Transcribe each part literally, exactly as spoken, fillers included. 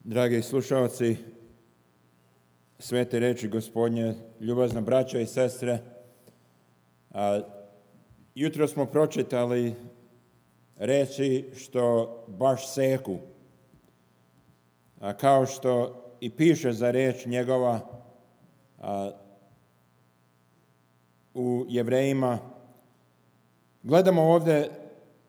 Dragi slušalci, svete reči Gospodnje, ljubazna braćo i sestre, a, jutro smo pročitali reči što baš seku, a, kao što i piše za reč njegova a, u Jevrejima. Gledamo ovdje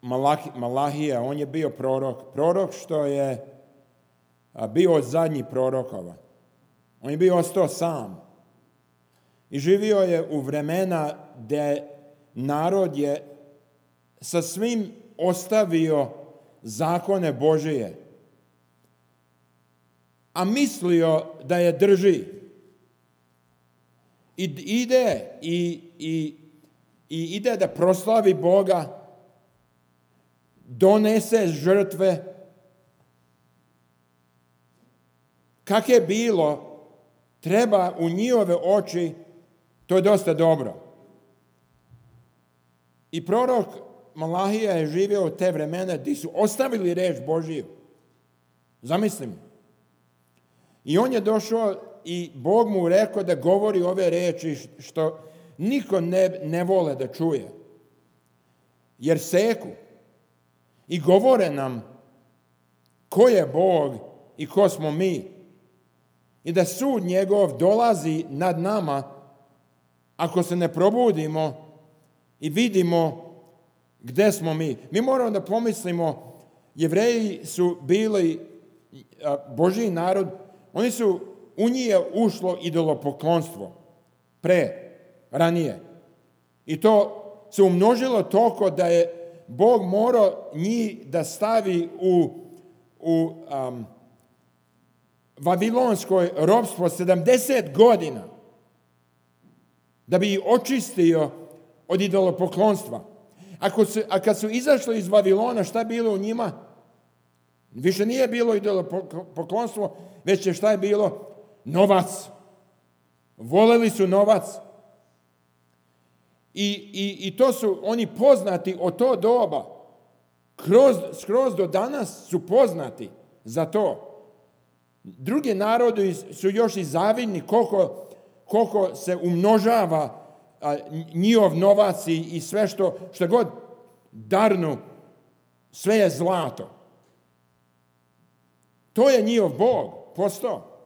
Malahi, Malahija, on je bio prorok, prorok što je a, bio od zadnjih prorokova. On je bio ostao sam i živio je u vremena gdje narod je sa svim ostavio zakone Božije, a mislio da je drži. I ide i, i, i ide da proslavi Boga, donese žrtve. Kak je bilo, treba u njihove oči, to je dosta dobro. I prorok Malahija je živio u te vremena gdje su ostavili reč Božiju. Zamislim. I on je došao i Bog mu rekao da govori ove reči što niko ne, ne vole da čuje. Jer seku i govore nam ko je Bog i ko smo mi. I da sud njegov dolazi nad nama ako se ne probudimo i vidimo gdje smo mi. Mi moramo da pomislimo, Jevreji su bili Božji narod, oni su, u njih je ušlo idolopoklonstvo pre, ranije. I to se umnožilo toliko da je Bog morao njih da stavi u, u um, Vavilonskoj ropstvo sedamdeset godina da bi ih očistio od idolopoklonstva. Ako su, a kad su izašli iz Vavilona, šta je bilo u njima? Više nije bilo idolopoklonstvo, već je šta je bilo? Novac. Voleli su novac. I, i, i to su oni poznati od to doba. Kroz, skroz do danas su poznati za to. Drugi narodi su još i zavidni koliko, koliko se umnožava a, njihov novac i, i sve što, što god darnu, sve je zlato. To je njihov Bog postao.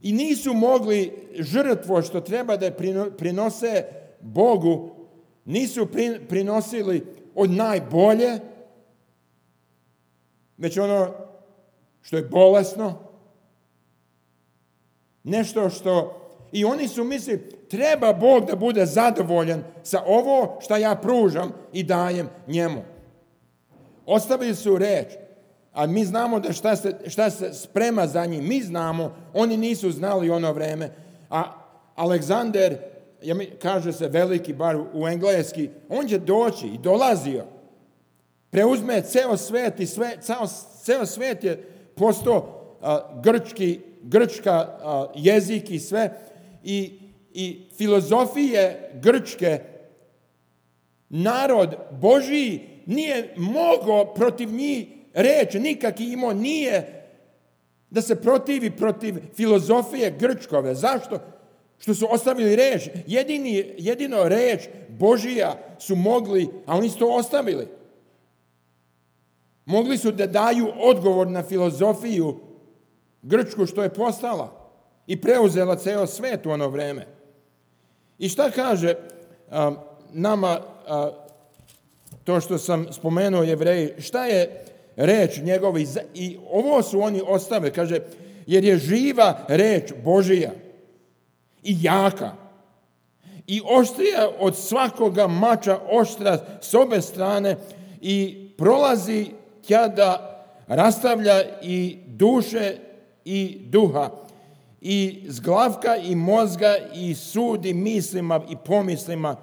I nisu mogli žrtvo što treba da prinose Bogu, nisu prinosili od najbolje, već ono što je bolesno, nešto što, i oni su mislili, treba Bog da bude zadovoljan sa ovo što ja pružam i dajem njemu. Ostavili su reč, a mi znamo da šta se, šta se sprema za njih, mi znamo, oni nisu znali ono vreme, a Aleksander, kaže se veliki, bar u engleski, on će doći i dolazio, preuzme ceo svet i sve, ceo, ceo svet je postao uh, grčki, grčka uh, jezik i sve, i, i filozofije grčke, narod Božiji nije mogao protiv njih reći, nikak imao nije da se protivi protiv filozofije grčkove. Zašto? Što su ostavili reč. Jedini, jedino reč Božija su mogli, a oni su to ostavili. Mogli su da daju odgovor na filozofiju grčku što je postala i preuzela ceo svet u ono vreme. I šta kaže a, nama a, to što sam spomenuo Jevreji, šta je reč njegova i, i ovo su oni ostavili, kaže, jer je živa reč Božija i jaka i oštrija od svakoga mača oštra s obe strane i prolazi kada rastavlja i duše i duha i zglavka i mozga i sudi mislima i pomislima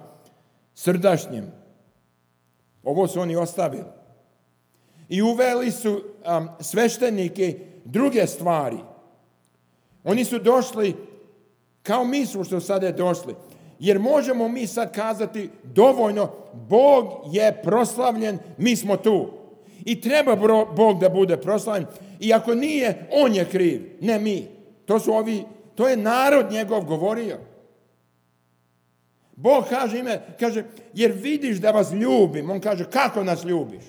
srdašnjim. Ovo su oni ostavili. I uveli su um, sveštenike druge stvari. Oni su došli kao mi su što sada je došli. Jer možemo mi sad kazati dovoljno, Bog je proslavljen, mi smo tu. I treba Bog da bude proslavljen. I ako nije, on je kriv, ne mi. To su ovi, to je narod njegov govorio. Bog kaže ime, kaže, jer vidiš da vas ljubim. On kaže, kako nas ljubiš?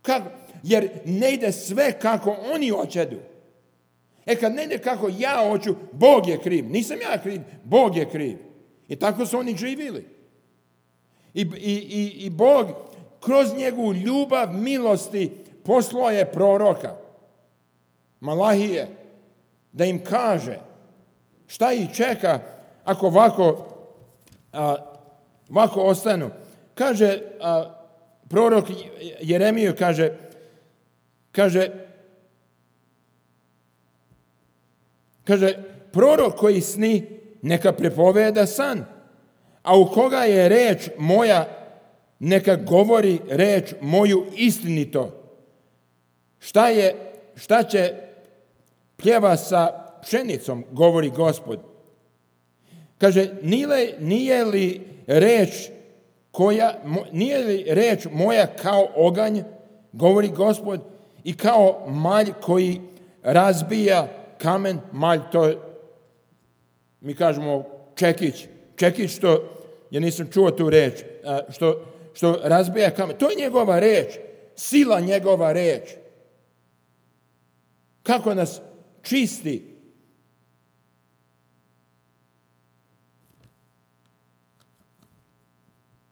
Kako? Jer ne ide sve kako oni hoćedu. E kad ne ide kako ja hoću, Bog je kriv. Nisam ja kriv, Bog je kriv. I tako su oni živjeli. I, i, i, i Bog kroz njegovu ljubav, milosti poslao je proroka Malahije da im kaže šta ih čeka ako ovako, a, ovako ostanu. Kaže a, prorok Jeremiju, kaže, kaže, kaže, prorok koji sni, neka prepoveda san, a u koga je reč moja, neka govori reč moju istinito. Šta je, šta će pljeva sa pšenicom, govori Gospod. Kaže, nije, nije li reč koja, nije li reč moja kao oganj, govori Gospod, i kao malj koji razbija kamen, malj, to mi kažemo čekić, čekić što, ja nisam čuo tu reč, što, što razbija kamen, to je njegova reč, sila njegova reč. Kako nas čisti.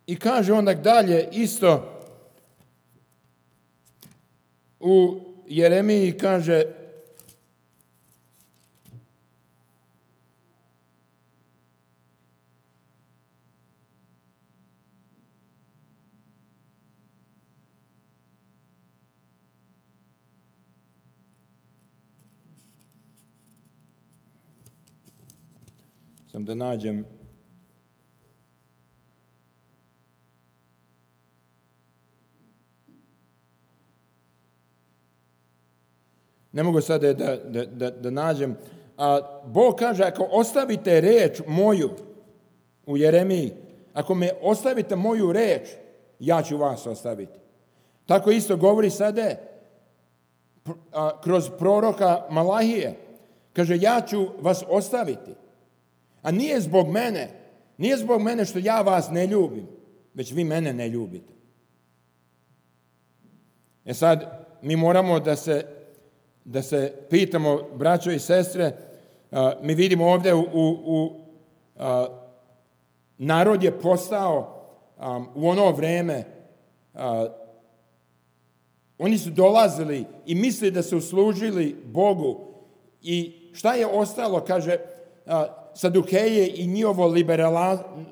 I kaže onda dalje isto u Jeremiji, kaže sam da nađem ne mogu sada da, da, da, da nađem, a Bog kaže, ako ostavite reč moju u Jeremiji, ako me ostavite moju reč, ja ću vas ostaviti. Tako isto govori sada a, kroz proroka Malahije. Kaže, ja ću vas ostaviti. A nije zbog mene, nije zbog mene što ja vas ne ljubim, već vi mene ne ljubite. E sad, mi moramo da se, da se pitamo, braćo i sestre, a, mi vidimo ovdje u, u, u a, narod je postao a, u ono vreme, a, oni su dolazili i mislili da su služili Bogu. I šta je ostalo, kaže, a, Sadukeje i njihovo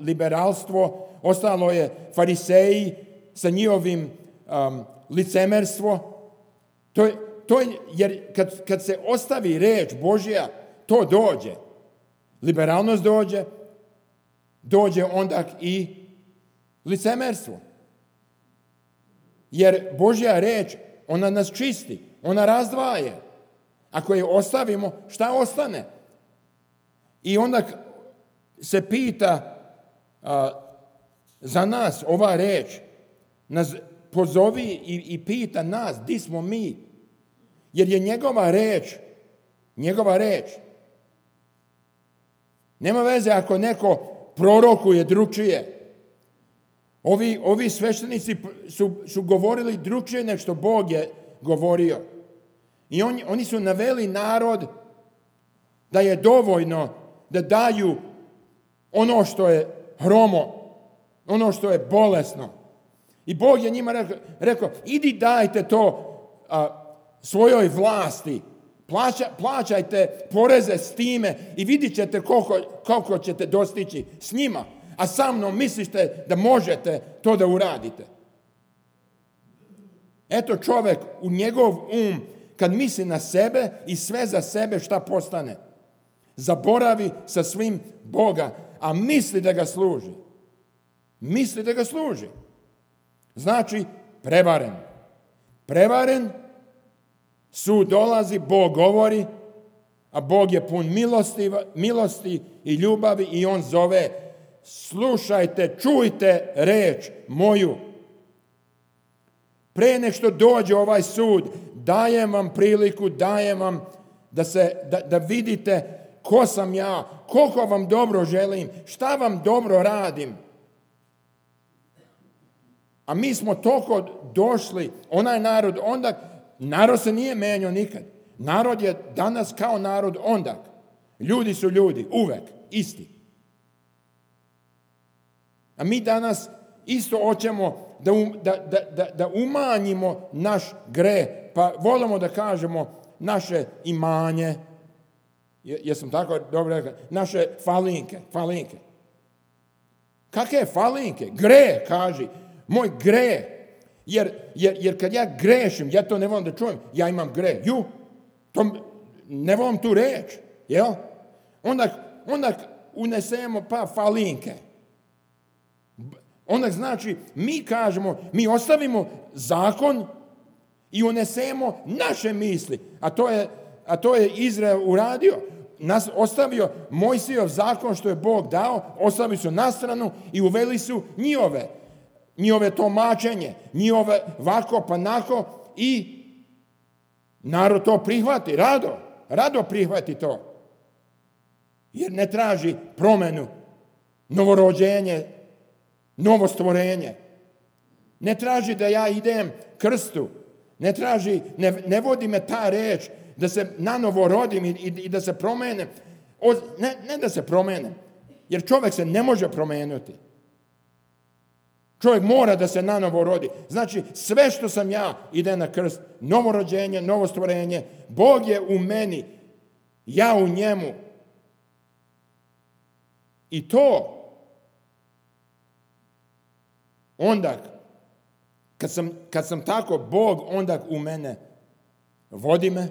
liberalstvo, ostalo je fariseji sa njihovim um, licemerstvo. To je, to je, jer kad, kad se ostavi reč Božja, to dođe. Liberalnost dođe, dođe onda i licemerstvo. Jer Božja reč, ona nas čisti, ona razdvaje. Ako je ostavimo, šta ostane? I onda se pita a, za nas ova reč, nas pozovi i, i pita nas, di smo mi? Jer je njegova reč, njegova reč. Nema veze ako neko prorokuje drugčije. Ovi, ovi sveštenici su, su govorili drugčije nego što Bog je govorio. I on, oni su naveli narod da je dovoljno da daju ono što je hromo, ono što je bolesno. I Bog je njima rekao, rekao idi dajte to a, svojoj vlasti, Plaća, plaćajte poreze s time i vidit ćete koliko, koliko ćete dostići s njima, a sa mnom mislite da možete to da uradite. Eto čovjek u njegov um, kad misli na sebe i sve za sebe šta postane. Zaboravi sa svim Boga, a misli da ga služi. Misli da ga služi. Znači, prevaren. Prevaren, sud dolazi, Bog govori, a Bog je pun milosti, milosti i ljubavi i on zove, slušajte, čujte reč moju. Pre nek što dođe ovaj sud, dajem vam priliku, dajem vam da, se, da, da vidite ko sam ja, koliko vam dobro želim, šta vam dobro radim. A mi smo toliko došli, onaj narod onda, narod se nije menjao nikad. Narod je danas kao narod onda. Ljudi su ljudi, uvek, isti. A mi danas isto hoćemo da, um, da, da, da, da umanjimo naš greh, pa volimo da kažemo naše imanje, jesam tako dobro rekao, naše falinke, falinke. Kakve falinke? Greh, kaži. Moj greh. Jer, jer, jer kad ja grešim, ja to ne volim da čujem, ja imam greh. Ju, to ne volim tu reč. Jel? Onda, onda unesemo pa falinke. Onda znači, mi kažemo, mi ostavimo zakon i unesemo naše misli. A to je, a to je Izrael uradio. Nas ostavio Mojsijov zakon što je Bog dao, ostavili su na stranu i uveli su njihove, njihove tumačenje, njihove vako pa nako i narod to prihvati, rado, rado prihvati to. Jer ne traži promenu, novorođenje, novo stvorenje. Ne traži da ja idem krstu, ne traži, ne, ne vodi me ta reč da se nanovo rodim i, i, i da se promenem. O, ne, ne da se promenem, jer čovjek se ne može promenuti. Čovjek mora da se nanovo rodi. Znači, sve što sam ja ide na krst, novorođenje, novo stvorenje, Bog je u meni, ja u njemu. I to onda, kad sam, kad sam tako, Bog onda u mene vodi me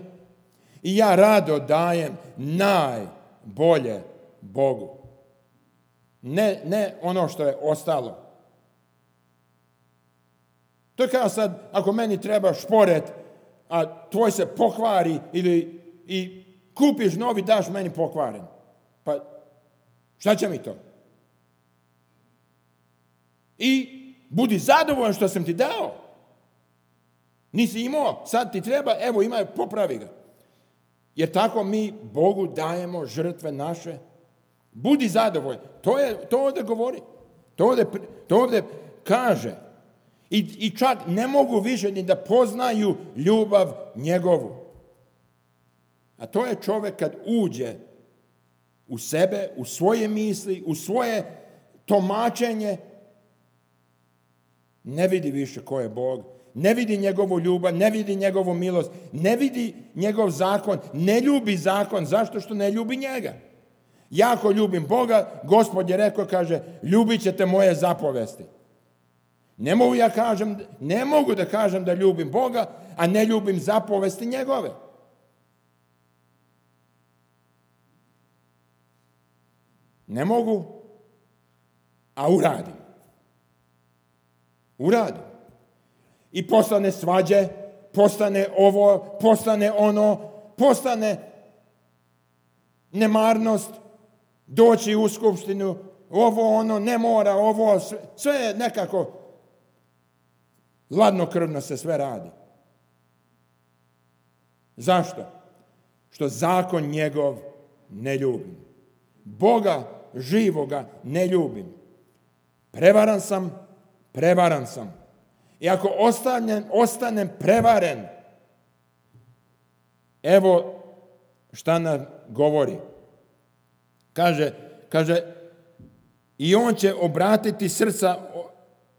i ja rado dajem najbolje Bogu. Ne, ne ono što je ostalo. To je kao sad, ako meni treba šporet, a tvoj se pokvari ili i kupiš novi, daš meni pokvaren. Pa šta će mi to? I budi zadovoljan što sam ti dao. Nisi imao, sad ti treba, evo imaj, popravi ga. Jer tako mi Bogu dajemo žrtve naše. Budi zadovoljan. To je, to ovdje govori. To ovdje, to ovdje kaže. I, I čak ne mogu više ni da poznaju ljubav njegovu. A to je čovjek kad uđe u sebe, u svoje misli, u svoje tumačenje, ne vidi više ko je Bog, ne vidi njegovu ljubav, ne vidi njegovu milost, ne vidi njegov zakon, ne ljubi zakon. Zašto? Što ne ljubi njega. Ja ako ljubim Boga, Gospod je rekao, kaže, ljubit ćete moje zapovesti. Ne mogu ja kažem, ne mogu da kažem da ljubim Boga, a ne ljubim zapovesti njegove. Ne mogu, a uradim. Uradim. I postane svađe, postane ovo, postane ono, postane nemarnost, doći u skupštinu, ovo ono, ne mora, ovo, sve, sve je nekako hladnokrvno se sve radi. Zašto? Što zakon njegov ne ljubim. Boga živoga ne ljubim. Prevaran sam, prevaran sam. I ako ostanem, ostanem prevaren, evo šta nam govori. Kaže, kaže, i on će obratiti srca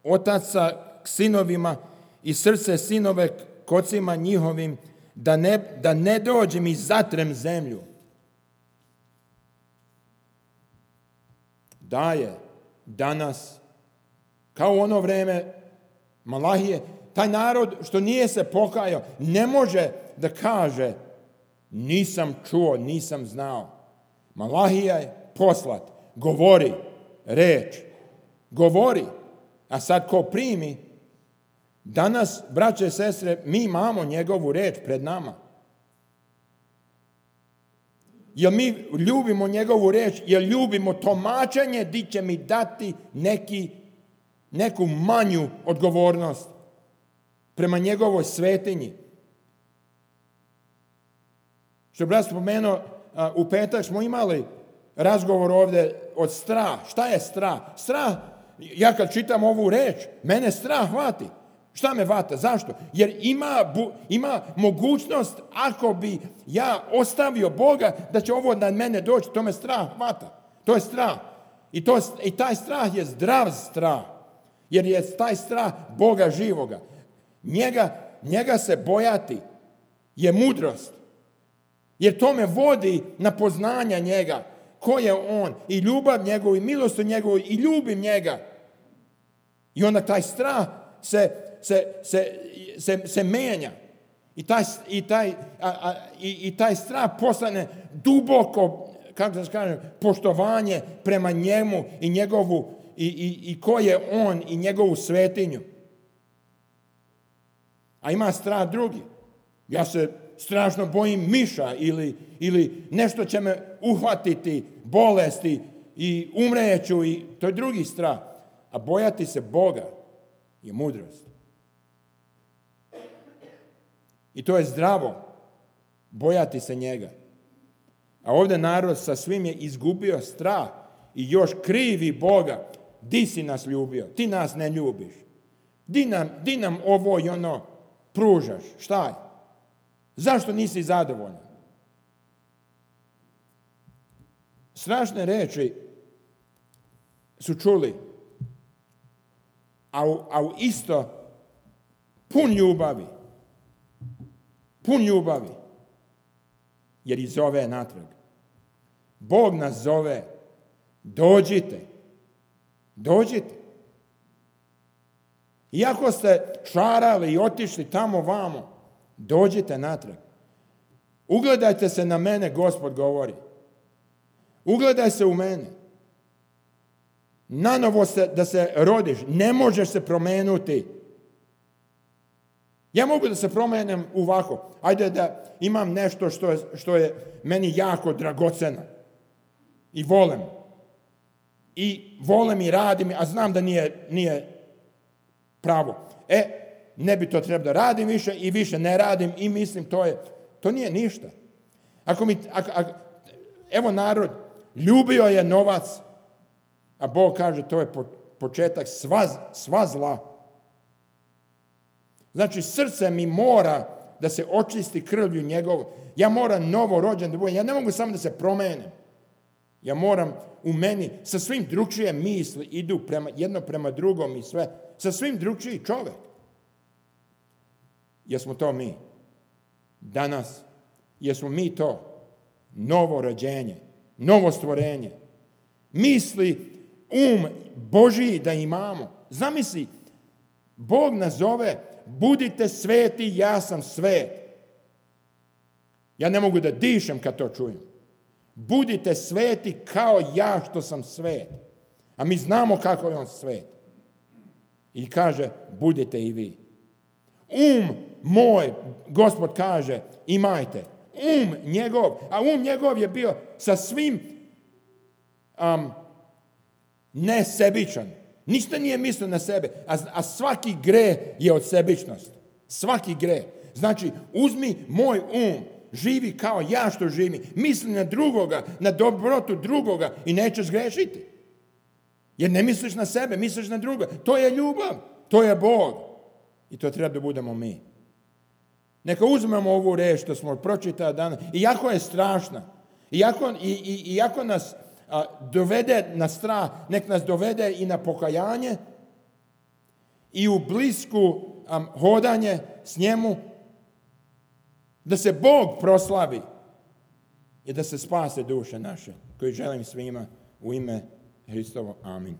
otaca k sinovima i srce sinove k ocima njihovim, da ne, da ne dođem i zatrem zemlju. Daje danas, kao u ono vreme Malahije, taj narod što nije se pokajao, ne može da kaže nisam čuo, nisam znao. Malahija je poslat, govori reč, govori, a sad ko primi, danas, braće i sestre, mi imamo njegovu reč pred nama. Jer mi ljubimo njegovu reč, jer ljubimo tumačenje di će mi dati neki, neku manju odgovornost. prema njegovoj svetinji. Što brat spomenuo, u petak smo imali razgovor ovdje od strah. Šta je strah? Strah, ja kad čitam ovu reč, mene strah hvati. Šta me vata? Zašto? Jer ima, ima mogućnost, ako bi ja ostavio Boga, da će ovo na mene doći, to me strah hvata. To je strah. I, to, i taj strah je zdrav strah. Jer je taj strah Boga živoga. Njega, njega se bojati je mudrost. Jer to me vodi na poznanja njega. Ko je on? I ljubav njegovu, i milost njegovu, i ljubim njega. I onda taj strah se, se, se, se, se menja. I taj, i, taj, a, a, i, i taj strah postane duboko, kako da kažem, poštovanje prema njemu i njegovu, i, i, i ko je on i njegovu svetinju. A ima strah drugi. Ja se strašno bojim miša ili, ili nešto će me uhvatiti, bolesti i umreću, i to je drugi strah. A bojati se Boga je mudrost. I to je zdravo, bojati se njega. A ovdje narod sa svim je izgubio strah i još krivi Boga. Di si nas ljubio? Ti nas ne ljubiš. Di nam, di nam ovo i ono pružaš? Šta je? Zašto nisi zadovoljan? Strašne reči su čuli, a u, a u isto pun ljubavi. Pun ljubavi. Jer ih zove natrag. Bog nas zove. Dođite. Dođite. Iako ste šarali i otišli tamo vamo, dođite natrag. Ugledajte se na mene, Gospod govori. Ugledaj se u mene. Nanovo se, da se rodiš. Ne možeš se promenuti. Ja mogu da se promenem ovako. Ajde da imam nešto što je, što je meni jako dragoceno. I volem. I volem i radim, a znam da nije, nije pravo. E, ne bi to trebalo da radim više i više ne radim i mislim to je, to nije ništa. Ako mi, ako, ako, evo narod, ljubio je novac, a Bog kaže to je početak sva, sva zla. Znači, srce mi mora da se očisti krvlju njegovu. Ja moram novo rođen da budem. Ja ne mogu samo da se promenem. Ja moram u meni, sa svim drugčije misli idu prema, jedno prema drugom i sve. Sa svim drugčiji čovjek. Jesmo to mi? Danas. Jesmo mi to? Novo rođenje. Novo stvorenje. Misli, um Božiji da imamo. Zamisli, Bog nas zove, budite sveti, ja sam svet. Ja ne mogu da dišem kad to čujem. Budite sveti kao ja što sam svet. A mi znamo kako je on svet. I kaže, budite i vi. Um moj, Gospod kaže, imajte. Um njegov, a um njegov je bio sa svim um, nesebičan. Ništa nije mislio na sebe, a, a svaki greh je od sebičnosti. Svaki greh. Znači, uzmi moj um, živi kao ja što živim, misli na drugoga, na dobrotu drugoga i nećeš grešiti. Jer ne misliš na sebe, misliš na druga. To je ljubav, to je Bog. I to treba da budemo mi. Neka uzmemo ovu reč što smo pročitali danas, iako je strašna, iako, i, i, iako nas a, dovede na strah, nek nas dovede i na pokajanje i u blisku a, hodanje s njemu, da se Bog proslavi i da se spase duše naše, koje želim svima u ime Hristovo. Amin.